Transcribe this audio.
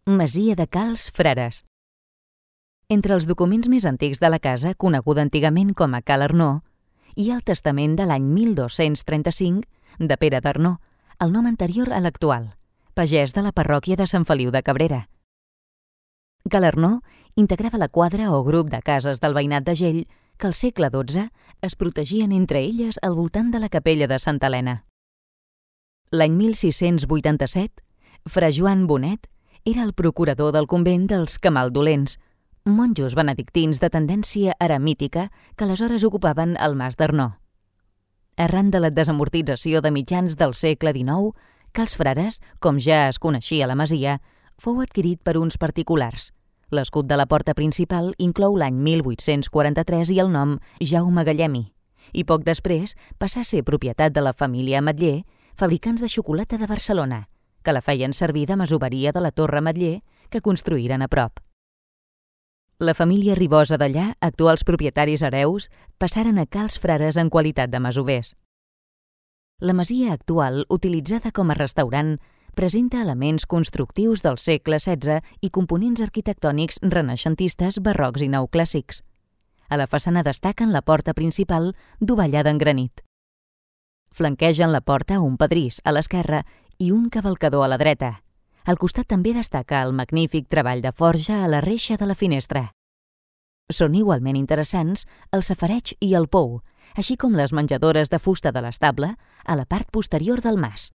Masia de Cals Frares. Entre els documents més antics de la casa, coneguda antigament com a Cal Arnó, hi ha el testament de l'any 1235 de Pere d'Arnó, el nom anterior a l'actual, pagès de la parròquia de Sant Feliu de Cabrera. Cal Arnó integrava la quadra o grup de cases del veïnat de Gell que al segle XII es protegien entre elles al voltant de la capella de Santa Helena. L'any 1687, fra Joan Bonet era el procurador del convent dels Camaldolents, monjos benedictins de tendència eremítica que aleshores ocupaven el Mas d'Arnó. Arran de la desamortització de mitjans del segle XIX, Cals Frares, com ja es coneixia la masia, fou adquirit per uns particulars. L'escut de la porta principal inclou l'any 1843 i el nom Jaume Gallemi, i poc després passà a ser propietat de la família Ametller, fabricants de xocolata de Barcelona, que la feien servir de masoveria de la Torre Ametller que construïren a prop. La família Ribosa d'allà, actuals propietaris hereus, passaren a Cals Frares en qualitat de masovers. La masia actual, utilitzada com a restaurant, presenta elements constructius del segle XVI i components arquitectònics renaixentistes, barrocs i neoclàssics. A la façana destaquen la porta principal dovellada en granit. Flanquegen la porta un pedrís a l'esquerra i un cavalcador a la dreta. Al costat també destaca el magnífic treball de forja a la reixa de la finestra. Són igualment interessants el safareig i el pou, així com les menjadores de fusta de l'estable a la part posterior del mas.